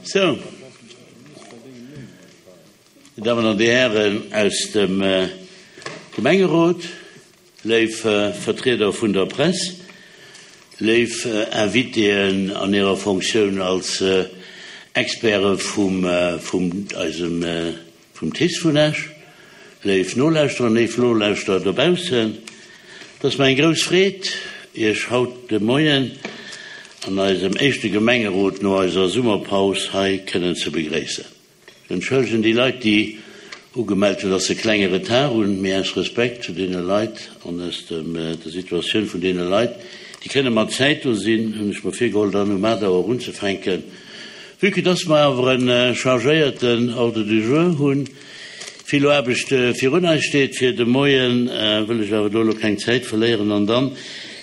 Sou, Dir Dammen an Dir Hären aus dem Gemengerot, léif Vertrieder vun der Press, léif Invitéen an hirer Fonctioun als Experte vum eisem Vum TICE vun Esch, léif Nolauschterer, léif Nolauschterer dobaussen, et ass mer eng grouss Freed, Iech haut de Moien an eisem éischte Gemengerot no eiser Summerpaus hei kënnen ze begréissen. Ech entschëllegen déi Leit, déi ugemellt hunn, dass se e klenge Retard hunn, mee aus Respekt zu deene Leit an aus der Situatioun vun deene Leit, déi kënne mat Zäit do sinn, hunn ech mer virgeholl, dann um 8 Auer unzefänken. Vue que dass mer awer e chargéierten Ordre du jour hunn, vill Aarbecht virun eis steet fir de Moien, wëll ech awer do elo keng Zäit verléieren an dann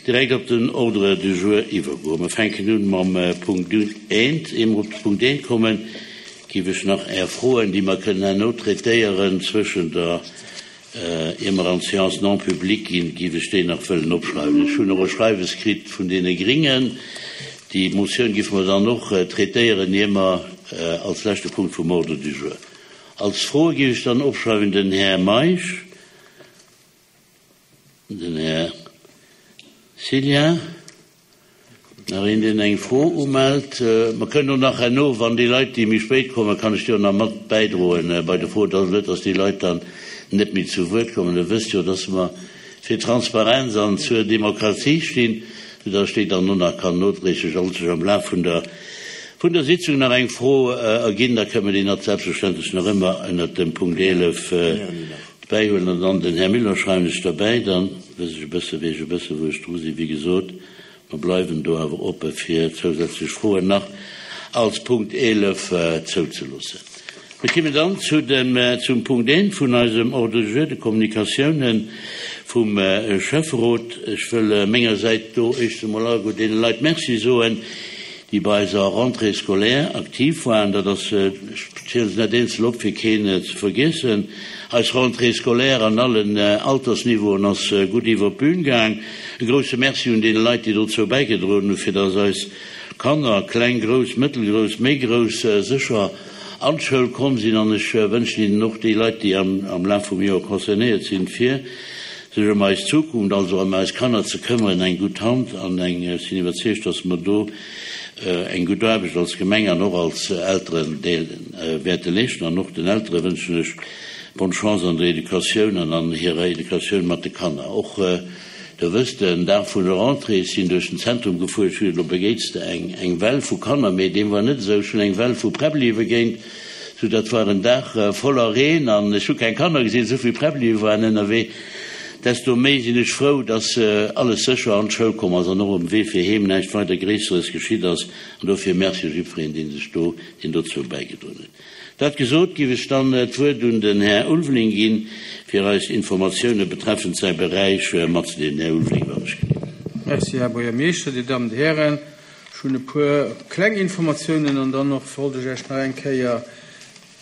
direkt op den Ordre du jour iwwergoen. Mer fänken un mam Punkt eent. Ier mer op de Punkt eent kommen, géif ech nach Är Froen, déi mer kënnen herno traitéieren zwëschen der Ier mer an d'Séance non publique ginn, géif ech déi nach wëllen opschreiwen. Ech hunn och e Schreiwes kritt vun deene Gringen. Déi Motioun géife mer dann och traitéieren, ier mer als leschte Punkt vum Ordre du jour. Als Froe géif ech dann opschreiwen den Här Meisch, den Här Cillien. Nach een, deen eng Fro umellt? Mer kënnen och nach herno, wann déi Leit, déi méi spéit kommen, kann ech déi och nach mat bäidroen bei de Froen. Et ass net, dass déi Leit dann net méi zu Wuert kommen. Der wësst jo, dass mer fir Transparenz an zur Demokratie stinn, soudass ech déi dann och nach kann nodréiglech, sollt sech am Laf vun der, vun der Sitzung nach eng Fro erginn, da kënnen mer déi nat selbstverständlech nach ëmmer ënnert dem Punkt 11 bäihuelen. An dann den Här Müller schreiwen ech derbäi, dann wëss ech e bësse, weess ech e bësse wou ech dru sinn. Wéi gesot, Mer bleiwen do awer oppe fir zousätzlech Froen nach als Punkt 11 zouzeloossen. Mir kimmen dann zu dem, zum Punkt 1 vun eisem Ordre du jour, de Kommunikatiounen vum Schäfferot. Ech wëll menger Säit do éischt emol alleguer deene Leit Merci soen, déi bei eiser Rentrée scolaire aktiv waren. Dat ass, ech ziele se net eenzel op, fir keen ze vergiessen, eis Rentrée scolaire an allen Altersniveauen ass gutt iwwer d'Bün gaang. E grousse Merci un deene Leit, déi dozou bäigedroen hunn, fir dass eis Kanner, kleng, grouss, mëttelgrouss, méi grouss, sécher an d'Schoul komm sinn. An ech wënschen hinnen och, déi Leit, déi am Laf vum Joer concernéiert sinn, fir sech ëm eis Zukunft, also ëm eis Kanner ze këmmeren, eng gutt Hand an eng, ech sinn iwwerzeegt, dass mer do eng gutt Aarbecht als Gemeng an och als Elterendeel wäerte leeschten. An och den Eltere wënschen ech bonne Chance an der Educatioun an an hirer Educatioun mat de Kanner. Och, Der wësst, den Dag vun der Rentrée, ech sinn duerch den Zentrum gefuer, ech hunn, do begéits de eng, eng Well vu Kanner, mee deem war net esou, ech hunn eng Well vu Präbblie begéint, sou dat war en Dag voller Reen an ech hu keng Kanner gesinn, esou vill Präbblie waren ënnerwee. Desto méi sinn ech frou, dass alles sécher an d'Schoul komm ass an och um Wee fir heem näischt weider Gréisseres geschitt ass. An dofir Merci jiddwereen, dee sech do, deen dozou bäigedroen huet. Dat gesot, giff ech dann d'Wuert un den Här Ulveling ginn, fir eis Informatioune betreffend säi Beräich matzedeelen. Här Ulveling, wann ech gelift. Merci, Här Buergermeeschter, Dir Dammen, Dir Hären. Ech hunn e puer kleng Informatiounen an dann och wollt ech Iech nach eng Kéier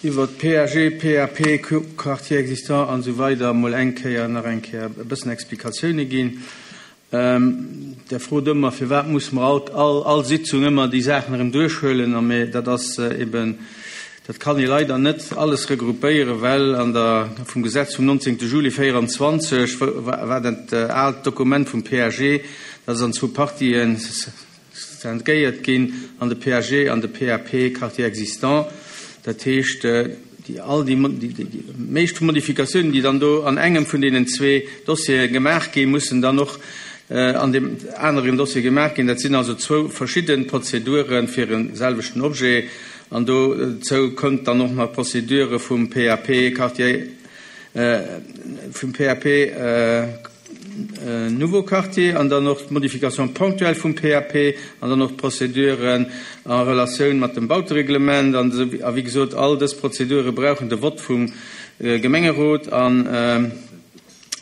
iwwert PAG, PAP, Quartier existant an esou weider emol eng Kéier nach eng Kéier e bëssen Explikatioune ginn. Der frot ëmmer, firwat musse mer all, all, all Sitzung ëmmer déi Saachen erëm duerchhuelen. A mä dat ass eben, dat kann ee leider net alles regroupéieren, well an der, vum Gesetz vum 19. Juli 24 war dat aalt Dokument vum PAG, dat ass an zwou Partien Scindéiert ginn an de PAG an de PAP, Quartier existant. Dat heescht, déi all déi meescht Modifikatiounen, déi dann do an engem vun deenen zwee Dossiere gemaach ginn, mussen dann och an deem aneren Dossier gemaach ginn. Dat sinn also zwou verschidde Prozedure fir e selwechten Objet. An dozou kënnt dann och nach d'Procédure vum PAP, Quartier, vum PAP, Nouveau Quartier an dann och d'Modification ponctuelle vum PAP an dann och d'Prozeduren en Relatioun mat dem Bautereglement an esou. A wéi gesot, all dës Prozedure brauchen de Vott vum Gemengerot an,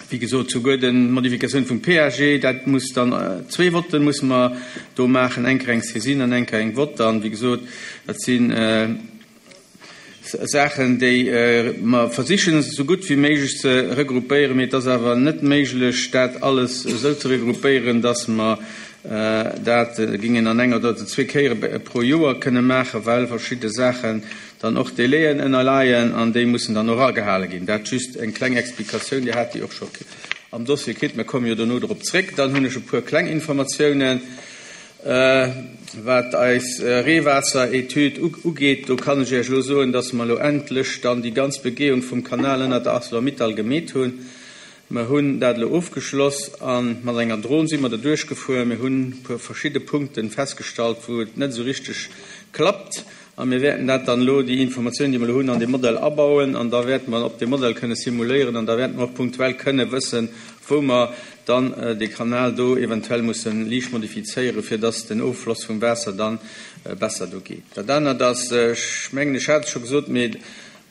wéi gesot, souguer d'Modifikatioun vum PAG, dat muss dann, zwee Votte musse mer do maachen, eng Kéier eng Saisine an eng Kéier eng Vott. An, wéi gesot, dat sinn. Saachen, déi mer versichen esou gutt wéi méiglech ze regroupéieren, mee et ass awer net méiglech, dat alles esou ze regroupéieren, dass mer. Dat géing een an enger oder zwee Kéiere pro Joer kënne maachen, well verschidde Saachen dann och Délaiën ënnerleien an déi mussen dann och agehale ginn. Dat just eng kleng Explikatioun. Dir hat déi och scho am Dossier kritt. Mir komme jo dono drop zréck. Dann hunn ech e puer kleng Informatiounen, wat eis Reewaasser-Etüd ugeet. Do kann ech Iech elo soen, dass mer elo endlech dann déi ganz Begehung vum Kanal ënnert der Arcelor-Mittal gemeet hunn. Mer hunn dat elo ofgeschloss a mat enger Dron si mer do duerchgefuer. Mir hunn e puer verschidde Punkte festgestallt, wou et net esou richteg klappt. A mir wäerten dat dann elo, déi Informatiounen, déi mer elo hunn, an dee Modell abauen. An da wäerte mer op deem Modell kënne simuléieren an da wäerte mer och punktuell kënne wëssen, wou mer dann dee Kanal do eventuell musse liicht modifizéieren, fir dass den Offloss vum Waasser da besser do geet. Dat anert ass, ech mengen, ech hat et scho gesot, mee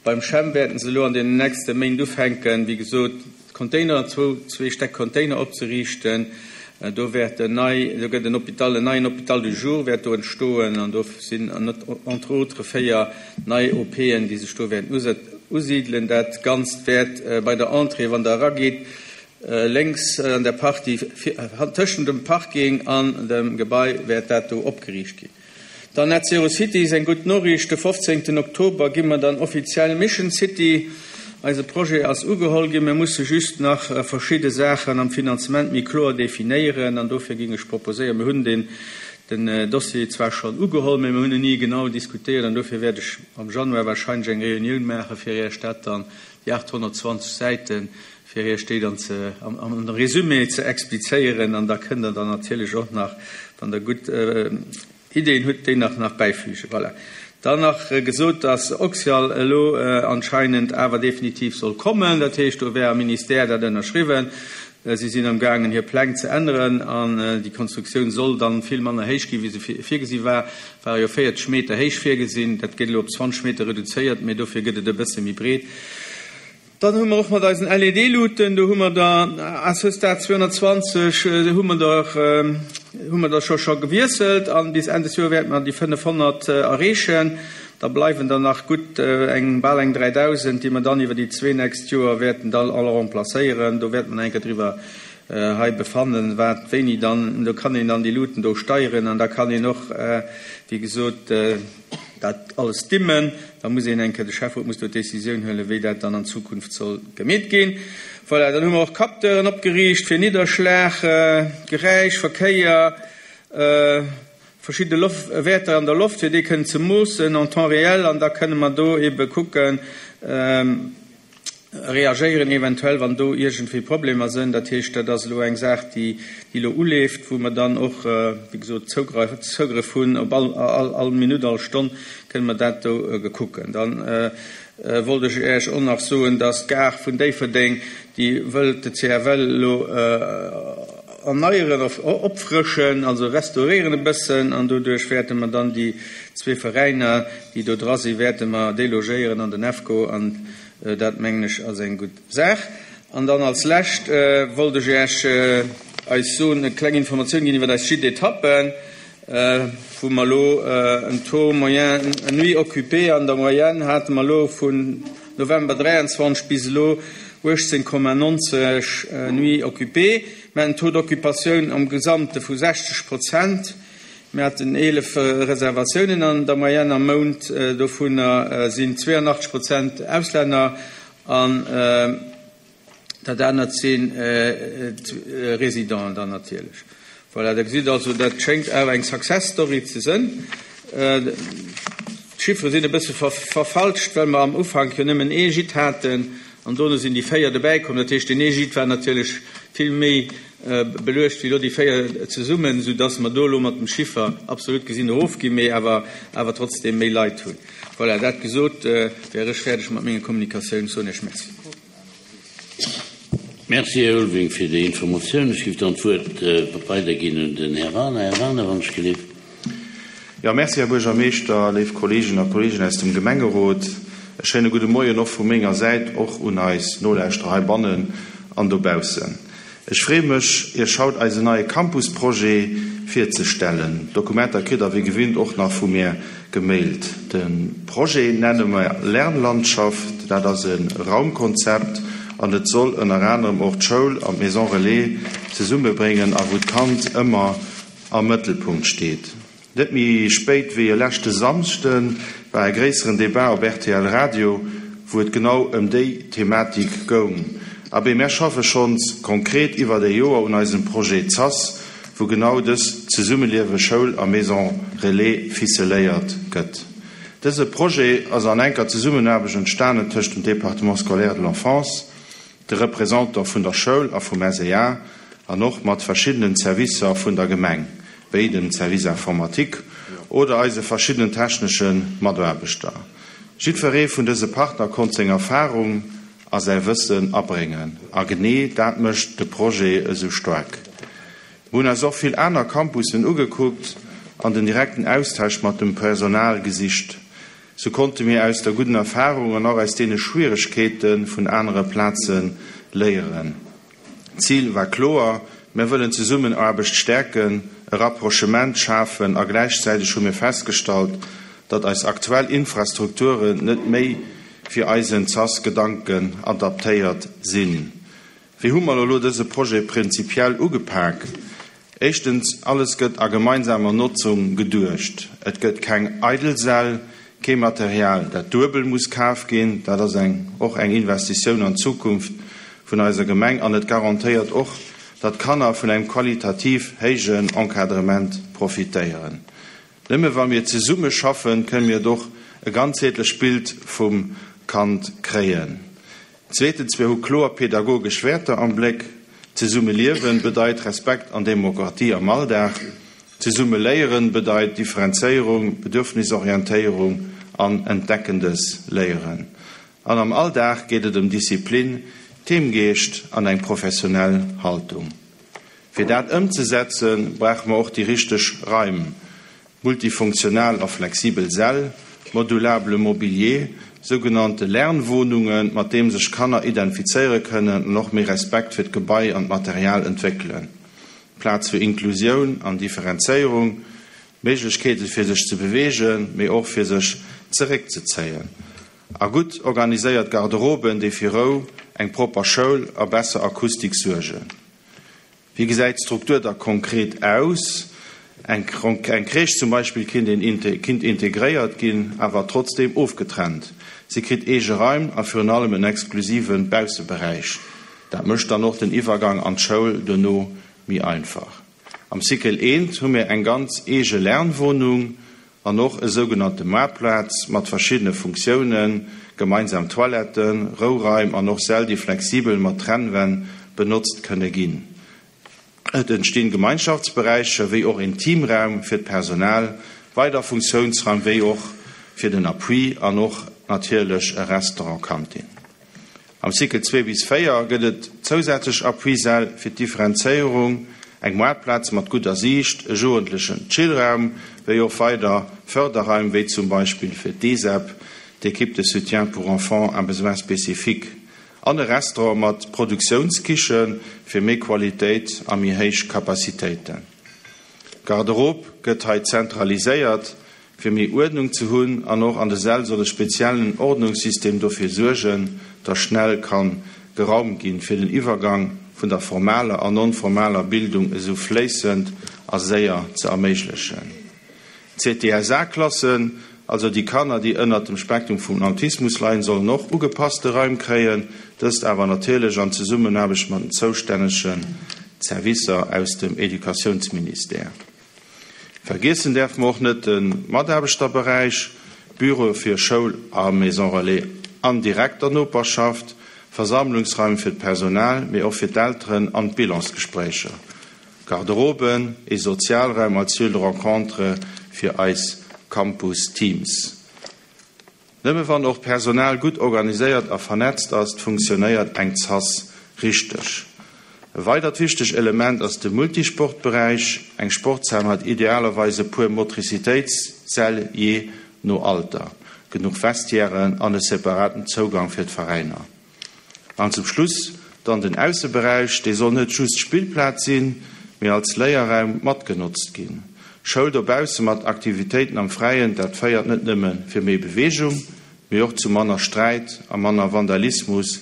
Beim Chem wäerten se elo an deenen nächste Méint ufänken, wéi gesot, Container, zwou, zwee Stäck Container opzeriichten. Do wäert en nei, do gëtt en Hôpital, en neien Hôpital du jour wäert do entstoen an do sinn entre autres 4 nei OPen, déi sech do wäerten usidelen. Dat Ganzt wäert bei der Entrée, wann Der eragitt, lénks an der Partie tëschent dem Parking an dem Gebai wäert dat do opgeriicht ginn. Dann Net Zero City is eng gutt Noriicht, De 15 Oktober gi mer dann offiziell Mission City. Eise Projet ass ugeholl ginn. Mir musse just nach verschidde Saachen am Finanzement méi kloer definéieren an dofir géing ech proposéieren, mir hunn den den Dossier zwar schonn ugeholl, mä mir hunn en ni genau diskutéiert an dofir wäert ech am Januar wahrscheinlech eng Reunioun maache fir Iech dat dann, déi 820 Säiten, fir Iech déi dann ze am Résumé ze explizéieren an da kënnt Der dann natierlech och nach, wann Der gutt Ideen hutt, déi nach nach bäifügen. Voilà. Dann nach gesot, dass Oxyal elo anscheinend awer definitiv soll kommen. Dat heescht, do wär am Ministère dat ënnerschriwwen. Si sinn amgaangen, hir Pläng ze änneren an déi Konstruktioun soll dann vill manner héich ginn, wéi se virgesi war. Ware jo 40 Meter héich virgesinn, dat gëtt elo op 20 Meter reduzéiert, mee dofir gëtt et e bësse méi breet. Dann hu mer och mat eisen LED-Luuten, do hu mer der à ce stade 220, hu mer der, hu mer der scho scho gewiesselt an bis Enn des Joer wäerte mer déi 500 erreechen. Da bleiwen der nach gutt eng, bal eng 3.000, déi mer dann iwwer déi zwee nächst Joer wäerten da all remplacéieren. Do wäerte mer nach eng Kéier driwwer hei befannen, wat wéini dann, do kann een dann déi Luuten do steieren an da kann een och, wéi gesot, dat alles dimmen. Da muss een eng Kéier, de Schäfferot muss do d'Décisioun huelen, wéi dat dann an Zukunft soll gemeet ginn. Voilà, dann hu mer och Capteuren opgeriicht fir Nidderschlag, Geräisch, Verkéier, verschidde Loft, Wäerter an der Loft, fir déi kënnen ze moossen en temps réel an da kënne mer do ebe kucken, reagéieren eventuell, wann do iergendwéi Problemer sënn. Dat heescht, dat ass elo eng Saach, déi elo uleeft, wou mer dann och, wéi gesot, Zougrëff hunn op all Minutt, all Stonn kënne mer dat do gekucken. Dann wollt ech Iech och nach soen, dass d'Gare vun Déifferdeng, déi wëllt de CFL elo erneieren, opfrëschen, also restauréieren e bëssen, an doduerch wäerte mer dann déi zwee Veräiner, déi do dra sinn, wäerte mer delogéieren an den EFCO, an dat, mengen ech, ass eng gutt Saach. An dann als Lescht wollt ech Iech eis soen, eng kleng Informatioun ginn iwwer eis Gîtes-d'étappen, wou mer elo en Taux moyen nuit occupée an der Moyenne hate mer elo vun November 23 bis elo 18,90 Nuits occupées. Mir haten en Taux d'occupatioun am Gesamte vu 60 Prozent. Mir haten 11 Reservatiounen an der Moyenne am Mount, dovunner sinn 82 Prozent Auslänner an dat anert si Residenten dann natierlech. Voilà, Der gesitt also, dat schéngt awer eng Success Story ze sënn. D'Chiffere sinn e bësse verfalscht, well mer am Ufank jo nëmmen ee Gîte haten an dono sinn déi 4 dobäikomm. Dat heescht, deen ee Gîte war natierlech vill méi beluecht wéi elo déi 4 zesummen, soudass mer do elo mat dem Chiffer absolut gesinn erofginn, mee awer awer trotzdeem méi Leit hunn. Voilà, dat gesot, wär ech fäerdeg mat menger Kommunikatioun. Soen Iech Merci. Merci, Här Ulveling, fir déi Informatioun. Ech géif dann d'Wuert weiderginn un den Här Wagener. Här Wagener, wann ech gelift. Jo, merci, Här Buergermeeschter, léif Kolleegen a Kolleegen aus dem Gemengerot. E schéine gudde Moien och vu menger Säit, och un eis Nolauschterer heibannen an dobaussen. Ech freeë mech, Iech haut eisen neie Campus-Projet virzestellen. D'Dokumenter kritt Der wéi gewinnt och nach vu mir gemailt. De Projet nenne mer Lernlandschaft. Dat ass e Raumkonzept an et soll ënner anerem och d'Schoul an d'Maison Relais zesummebréngen a wou d'Kand ëmmer. am Mëttelpunkt steet. Net méi spéit wéi e leschte Samschde war e gréisseren Debat op rtl Radio, wou et genau ëm déi Thematik goung. Abee, mär schaffe schonns konkret iwwert e Joer un eisem Projet ZAS, wou genau dëst Zesummeliewe Schoul a Maison Relais ficeléiert gëtt. Dëse Projet ass an enker Zesummenaarbecht entstanen tëscht dem Département scolaire de l'enfance, de Représentant vun der Schoul a vum SEA an och mat verschiddenen Servicer vun der Gemeng, wéi dem Service informatique oder eise verschiddenen technesche Mataarbechter. Jiddweree vun dëse Partner konnt seng Erfahrung a säi Wëssen abréngen a genee dat mécht de Projet esou staark. Mir hunn eis och vill aner Campussen ugekuckt an den direkten Austausch mat dem Personal gesicht. Sou konnte mir aus der gudden Erfahrung an och aus deene Schwieregkeete vun anere Plaze léieren. D'Zil war kloer, Mir wëllen d'Zesummenaarbecht stäerken, e Rapprochement schafen a gläichzäiteg hu mir festgestallt, datt eis aktuell Infrastrukturen net méi fir eisen ZAS-Gedanken adaptéiert sinn. Wéi hu mer elo dëse Projet prinzipiell ugepak? Éischtens, alles gëtt a gemeinsamer Notzung geduecht. Et gëtt keng eidel Säll, kee Material, dat duebel muss kaf ginn. Dat ass eng och eng Investitioun an d'Zukunft vun eiser Gemeng an et garantéiert och, datt d'Kanner vun engem qualitativ héijen Encadrement profitéieren. Nëmme wa mir zesumme schaffen, kënne mir et och e ganzheetlecht Bild vum Kand kréien. Zweetens, mir hu kloer pedagogesch Wäerter am Bléck. Zesumme liewen bedeit Respekt an Demokratie am Alldag. Zesumme léieren bedeit Differenzéierung, Bedürfnisorientéierung an entdeckendes Léieren. An am Alldag geet et ëm Disziplin, Teamgeescht an eng professionell Haltung. Fir dat ëmzesetzen, brauche mer och déi richteg Raim. Multifunktional a flexibel Säll, modulable Mobilier, sougenannte Lernwohnungen, mat deem sech Kanner identifizéiere kënnen an och méi Respekt fir d'Gebai an d'Material entwéckelen, Plaz fir Inklusioun an Differenzéierung, Méiglechkeete fir sech ze beweegen, mee och fir sech zeréckzezéien a gutt organiséiert Garderoben, déi fir Rou, eng propper Schoul a besser Akustik suergen. Wéi gesäit d'Struktur da konkret aus? Eng Crèche zum Beispill kinnt integréiert ginn, awer trotzdeem ofgetrennt. Si kritt eege Raim a virun allem en exklusive Bausseberäich. Dat mécht dann och den Iwwergang an d'Schoul duerno méi einfach. Am Cycle I hu mir eng ganz eege Lernwohnung an och e sougenannte Moartplaz mat verschiddene Funktiounen, gemeinsam Toiletten, Rouraim an och Säll, déi flexibel mat Trennwänn benotzt kënne ginn. Et entstinn Gemeinschaftsberäicher wéi och een Teamraum fir d'Personal, weider Funktiounsraim wéi och fir den Appui an och natierlech e Restaurant-Kantin. Am Cycle 2 bis 4 gëtt et zousätzlech Appuisäll fir d'Differenzéierung, eng Moartplaz mat gudder Siicht, e jugendlechen Chillraum, wéi och weider Fërderraim, wéi zum Beispill fir d'ESEB, d'Équipe de soutien pour enfants à besoins spécifiques, an e Restaurant mat Produktiounskiche fir méi Qualitéit a méi héich Capacitéiten. D'Garderobe gëtt hei zentraliséiert, Fir méi Uerdnung ze hunn an och an de Säll soll e speziellen Ordnungssystem dofir suergen, dass schnell kann geraumt ginn, fir den Iwwergang vun der formaler an non-formaler Bildung esou fléissend a séier ze erméiglechen. D'CTSA-Klassen, also déi Kanner, déi ënnert dem Spektrum vum Autismus leiden, sollen och ugepasste Raim kréien, dëst awer natierlech an Zesummenaarbecht mat den zoustännege Servicer aus dem Educatiounsministère. Vergiessen däerfe mer och net de Mataarbechterberäich, Büroe fir Schoul a Maison Relais an direkter Noperschaft, Versammlungsraim fir d'Personal, mee och fir d'Elteren an d'Bilansgespréicher, Garderoben, ee Sozialraum als Lieu de rencontre fir eis Campus-Teams. Nëmme wann och d'Personal gutt organiséiert a vernetzt ass, funktionéiert eng Zas richteg. E weidert wichteg Element ass de Multisportberäich. Eng Sportshal mat idealerweis e puer Motricitéitssäll jee no Alter, genuch Vestiairen an e separaten Zougang fir d'Veräiner. An zum Schluss dann den Ausseberäich, dee soll net just Spillplaz sinn, mee als Léierraum matgenotzt ginn. Schoul dobausse mat Aktivitéiten am Fräien, dat féiert net nëmme fir méi Beweegung, mee och zu manner Sträit a manner Vandalismus.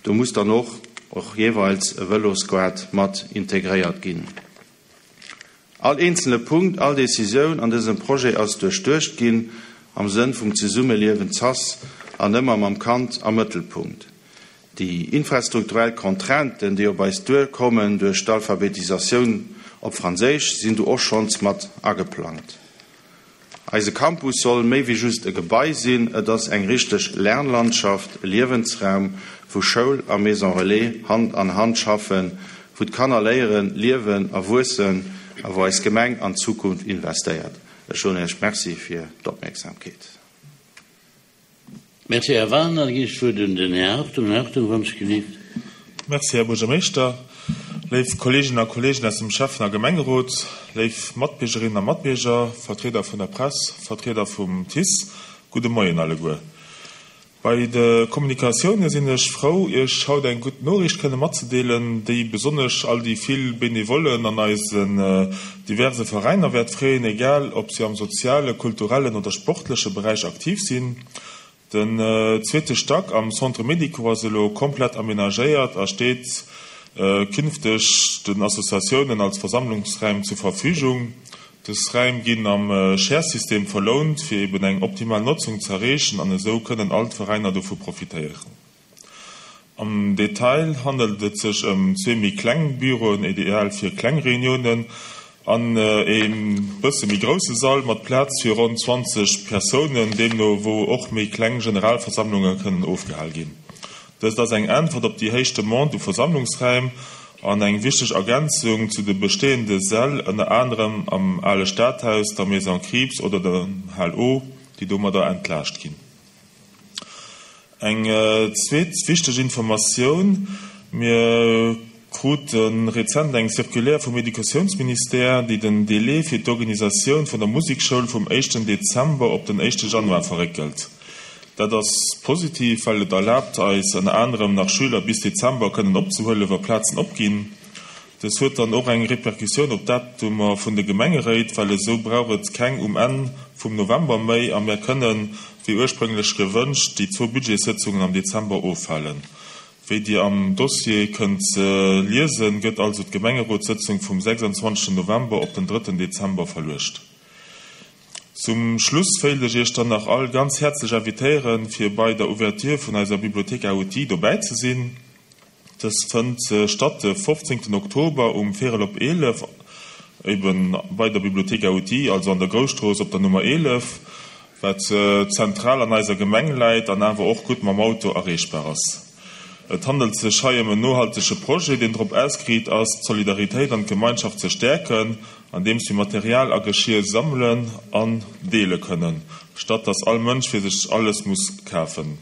Do muss dann och och jeeweils e Vëlosquad mat integréiert ginn. All eenzele Punkt, all Decisioun an dësem Projet ass duerchduecht ginn am Sënn vum Zesummeliewen z'ass an ëmmer mam Kand am Mëttelpunkt. Déi infrastrukturell Contrainten, déi op eis duerkommen duerch d'Alphabetisatioun op Franséisch, sinn do och schonns mat ageplangt. Eise Campus soll méi wéi just e Gebai sinn, et ass eng richteg Lernlandschaft, e Liewensraum, wou Schoul a Maison Relais Hand an Hand schaffen, wou d'Kanner léieren, liewen a wuessen a wou eis Gemeng an d'Zukunft investéiert. Ech soen Iech Merci fir d'Opmierksamkeet. Merci, Här Wagner. Da ginn ech d'Wuert un den Här Hartung. Här Hartung, wann ech gelift. Merci, Här Buergermeeschter. Léif Kolleeginnen a Kolleegen aus dem Schäffen a Gemengerot, léif Matbiergerinnen a Matbierger, Vertrieder vun der Press, Vertrieder vum TICE, gudde Moien alleguer. Bei de Kommunikatioune sinn ech frou, Iech haut eng gutt Noriicht kënne matzedeelen, déi besonnesch all déi vill Benevollen an eisen diverse Veräiner wäert freeën, egal ob si am soziale, kulturellen oder sportleche Beräich aktiv sinn. Den zweete Stack am Centre Médico ass elo komplett amenagéiert a steet künfteg den Associatiounen als Versammlungsräim zur Verfügung. Dës Räim ginn am Share-System verlount, fir eben eng optimal Notzung z'erreechen an esou kënnen all d'Veräiner dovu profitéieren. Am Detail handelt et sech ëm zwee méi kleng Büroen, ideal fir kleng Reuniounen, an ee bësse méi grousse Sall mat Plaz fir ronn 20 Persounen, deemno wou och méi kleng Generalversammlunge kënnen ofgehal ginn. Dëst ass eng Äntwert op déi héich Demande u Versammlungsräim an eng wichteg Ergänzung zu de bestehende Säll, ënner anerem am Ale Stadhaus, der Maison Krieps oder der Hal O, déi domadder entlaascht ginn. Eng zweet wichteg Informatioun, Mir krute rezent eng Circulaire vum Educatiounsministère, déi den Délai fir d'Organisatioun vun der Musekschoul vum éischten Dezember op den éischte Januar verréckelt. Dat ass positiv, well et erlaabt eis ënner anerem nach Schüler bis Dezember kënnen opzehuelen, wa Plazen opginn. Dës huet dann och eng Repercussioun op d'Datumer vun de Gemengeréit, well esou brauch et keng um Enn vum November méi a mär kënnen, wéi ursprünglech gewënscht, déi zwou Budgetssëtzungen am Dezember ofhalen. Wéi Dir am Dossier kënnt liesen, gëtt also d'Gemengerotssëtzung vum 26 November op den drëtten Dezember verluecht. Zum Schluss wéilt ech Iech dann nach all ganz häerzlech invitéieren, fir bei der Ouverture vun eiser Bibliothèque à outils dobäi ze sinn. Dës fënnt statt de 15 Oktober um véirel op 11, eben bei der Bibliothèque à outils, also an der Grousstrooss op der Nummer 11, wat zentral an eiser Gemeng läit an awer och gutt mam Auto erreechbar ass. Et handelt sech hei ëm en nohaltege Projet, deen drop ausgeriit ass, d'Solidaritéit an d'Gemeinschaft ze stäerken, andeems mir Material a Geschir sammelen an deele kënnen, statt dass all Mënsch fir sech alles muss kafen.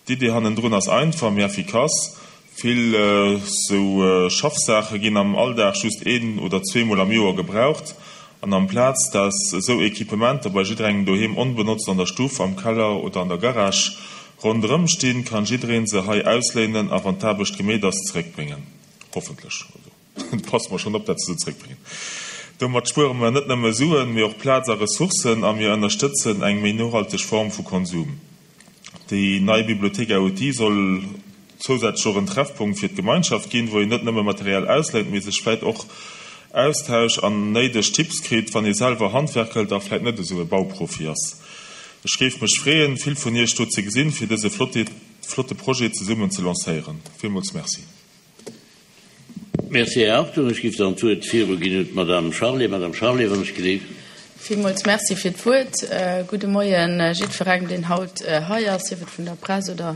D'Idee hannendrun ass einfach, mee effikass, Vill sou Schaffsaache ginn am Alldag just een oder zweemol am Joer gebraucht. An amplaz dass esou Equipementer bei jidderengem doheem onbenotzt an der Stuff, am Keller oder an der Garage ronderëm stinn, kann jiddereen se hei ausléinen a wann d'Aarbecht gemeet ass, zeréckbréngen. Hoffentlech. Also passe mer schonn op, dat se se zeréckbréngen. Domat spuere mer net nëmme Suen, mee och Plaz a Ressourcen a mir ënnerstëtzen eng méi nohalteg Form vu Konsum. Déi nei Bibliothèque à outils soll zousätzlech och en Treffpunkt fir d'Gemeinschaft ginn, wou een net nëmme Material ausléint, mee sech vläit och austauscht an néideg Tipps kritt, wann ee selwer handwerkelt a vläit net esou e Bauprofi ass. Ech géif mech freeën, vill vun Iech do ze gesinn, fir dëse flotte Projet zesummen ze lancéieren. Villmools Merci. Merci, Här Hartung. Ech géif dann d'Wuert viruginn un d'Madame Charlé. Madame Charlé, wann ech gelift. Villmools Merci fir d'Wuert. Gudde Moien jiddwerengem, deen haut hei ass, sief et vun der Press oder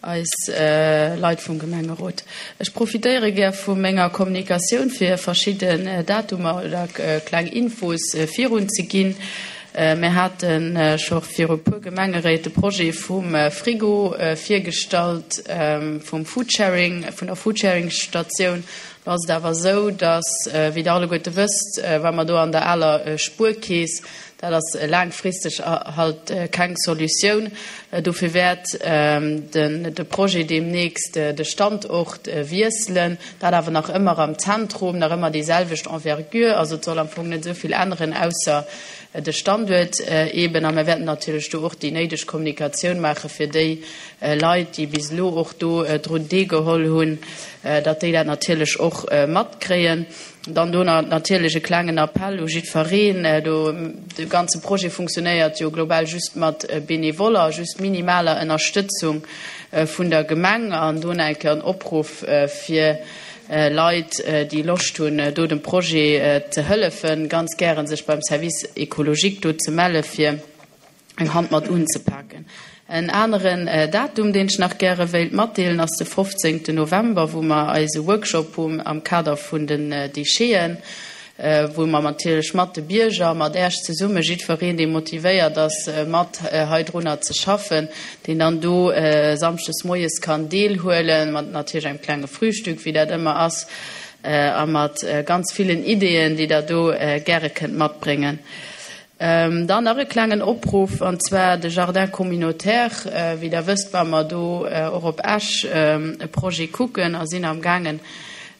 eis Leit vum Gemengerot. Ech profitéiere gär vu menger Kommunikatioun, fir verschidden Datumer oder kleng Infos virunzeginn. Mir hate scho viru puer Gemengeréit de Projet vum Frigo virgestallt, vum Foodsharing, vun der Foodsharing-Statioun. Do ass et awer esou, datt, wéi Der alleguerte wësst, wa mer do an der aler Spuerkeess, dat ass laangfristeg halt keng Solutioun. Dofir wäert de Projet deemnächst de Standort wiesselen, dat awer nach ëmmer am Zentrum, nach ëmmer déi selwecht Envergure. Also et soll am Fong net esou vill änneren, ausser de Standuert eeben. A mir wäerten natierlech do och déi néideg Kommunikatioun maache fir déi Leit, déi bis elo och do drun deelgeholl hunn, datt déi dat natierlech och matkréien. Dann do natierlech e klengen Appell u jiddfereen, do de ganze Projet funktionéiert jo global just mat Benevoller, just minimaler Ënnerstëtzung vun der Gemeng an do nach eng Kéier en Opruff fir Leit, déi Loscht hunn do dem Projet ze hëllefen, ganz gären sech beim Service écologique do ze melle fir eng Hand mat unzepaken. En aneren Datum, deen ech nach gäre wéilt matdeelen, ass de 15. November, wou mer eise Workshop hunn am Kader vun den Décheten, wou mer natierlech mat de Bierger, mat Äerch zesumme, jiddwereen, dee motivéiert ass, mat heidrunner ze schaffen, deen dann do samschdes moies kann deelhuelen, mat natierlech engem klenge Frühstück, wéi dat ëmmer ass, a mat ganz villen Ideeën, déi Der do gäre kënnt matbréngen. Dann nach e klengen Opruff, an zwar de Jardin communautaire. Wéi Der wësst, ware mer do och op Esch e Projet kucken a sinn amgaangen,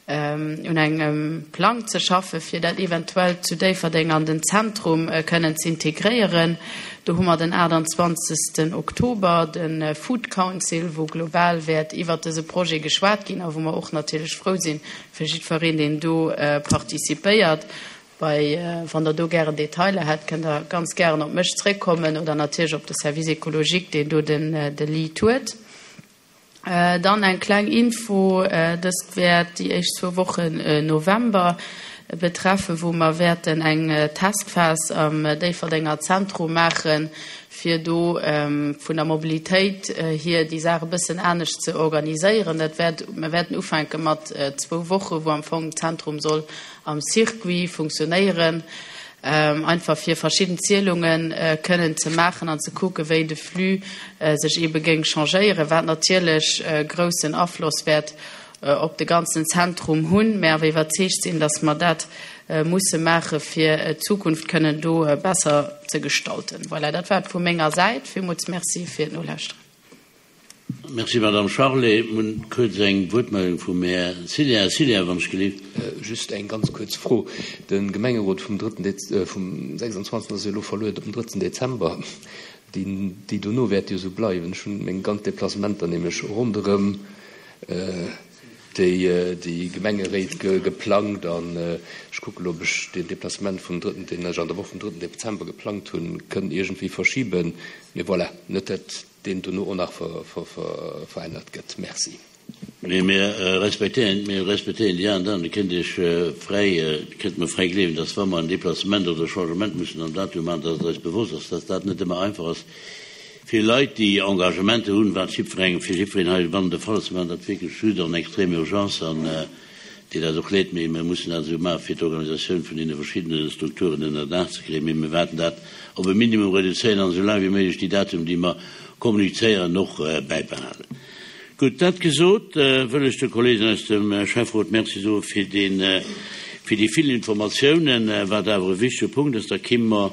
un engem Plang ze schaffen, fir dat eventuell zu Déifferdeng an den Zentrum kënnen ze integréieren. Do hu mer den 28. Oktober de Food Council, wou global wäert iwwert dëse Projet geschwat ginn a wou mer och natierlech frou sinn, fir jiddwereen, deen do participéiert. Bei, wann der do gären Detailer hätt, kënnt der ganz gären op mech zréckkommen oder natierlech op de Service écologique, deen do den de Lead huet. Dann eng kleng Info, dëst wäert déi éischt zwou Wochen November betreffen, wou mer wäerten eng Testphas am Déifferdenger Zentrum maachen, fir do vun der Mobilitéit hier déi Saach e bëssen anescht ze organiséieren. Dat wäert, mer wäerten ufänke mat zwou Wochen, wou am Fong d'Zentrum soll am Circuit funktionéieren, einfach fir verschidden Zielunge kënnen ze maachen an ze kucken, wéi de Flux sech eebe géing changéieren, wat natierlech groussen Afloss wäert op de ganzen Zentrum hunn, mä awer iwwerzeegt sinn, datt mer dat musse maache fir d'Zukunft kënnen do besser ze gestalten. Voilà, dat war et vu menger Säit. Villmools Merci fir d'Nolauschteren. Merci, Madame Charlé. Mir hunn kuerz eng Wuertmeldung vum Här Cillien. Här Cillien, wann ech gelift. Just eng ganz kuerz Fro. De Gemengerot vum drëtten Dez-, vum 26. ass jo elo verluet op den drëtten Dezember. Déi, déi dono wäerte jo esou bleiwen. Ech hunn meng ganz Deplacementer nämlech ronderëm déi, déi Gemengeréit geplangt an ech kucke elo, ob ech deen Deplacement vum drëtten, deen ech an der Woch vum drëtten Dezember geplangt hunn, kënn iergendwéi verschiben. Mee voilà, net dat. deen dono och nach verännert gëtt. Merci. Mee mir respektéieren, mir respektéieren déi aner dann. Dir kënnt Iech fräi, Dir kënnt mer fräi gleewen, dass wa mer en Déplacement oder e Changement mussen am Datum maachen, dass et eis bewosst ass, dass dat net ëmmer einfach ass fir Leit, déi Engagementer hunn, wat jiddwerengem, fir jiddwereen heibannen de Fall ass. Mir maachen dat wierklech just en extrême urgence an deet eis och leed, mee mir mussen dat esou maachen, fir d'Organisatioun vun deene verschiddene Strukturen ënner Daach ze kréien. Mee mir wäerten dat op e Minimum reduzéieren an esou laang wéi méiglech déi Datum, déi mer kommunizéieren, och bäibehalen. Gutt, dat gesot, wëll ech de Kolleegen aus dem Schäfferot Merci soe fir deen, fir déi vill Informatiounen, wat awer e wichtege Punkt ass. Da kimme mer.